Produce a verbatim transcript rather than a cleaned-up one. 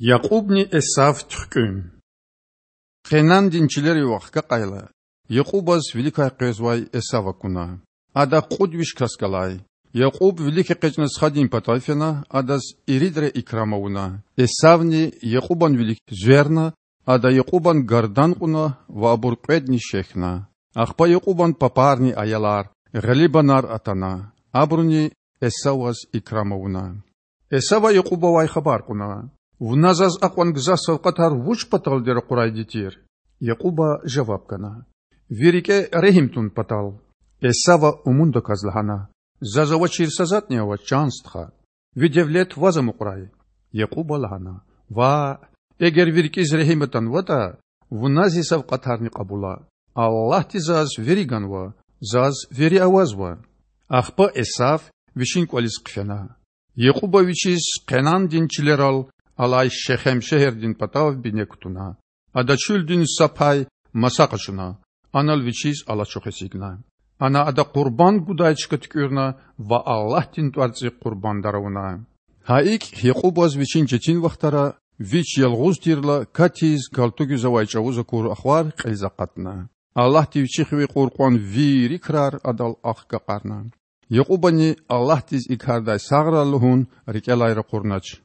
Якьубни Эсав туьхкІуьн. Къенандин чилерив вахкакьайла, Якьубаз виликай къвезвай Эсав акуна. Ада кьуд виш кас галай. Якьуб вилик экъечІна сададин патав фена, адаз иридра икрам авуна. Эсавни Якьубан вилик зверна, ада Якьубан гардан кьуна ва абур кьведни шехьна. Ахпа Якьубан папарни аялар, гъилибанар атана. Абуруни Эсаваз икрам авуна. Эсава Якьубавай хабар кьуна: Вуна заз акьван гзаф савкьватар вуч паталди ракъурайди тир? Якьуба жаваб гана: Ви рикІе регьим тун патал. Эсава умундаказ лагьана: Заз авачир са затІни авач, чан стха. Ви девлет ваз амукьрай. Якьуба лагьана: Ваъ, эгер ви рикІиз регьим атанватІа, вуна зи савкьватарни кьабула. Аллагьди заз вири ганва, заз вири авазва. Ахпа Эсав вичин кІвализ хъфена. Якьуба вичиз Къенандин чилерал алай Шехем шегьердин патав бине кутуна. Ада чуьлдин са пай маса къачуна, анал вичиз алачух эцигна. Ана ада къурбанд гудай чка туькІуьрна ва Аллагьдин тІварцІихъ къурбандар авуна. Гьа икІ Якьубаз вичин четин вахтара, вич ялгъуз тирла, катиз галтугиз авай чІавуз акур ахвар кьилиз акъатна. Аллагьди вичи хиве кьур кьван вири крар адал ахкакьарна. Якьубани Аллагьдиз и кардай сагърай лугьун рикІелай ракъурнач.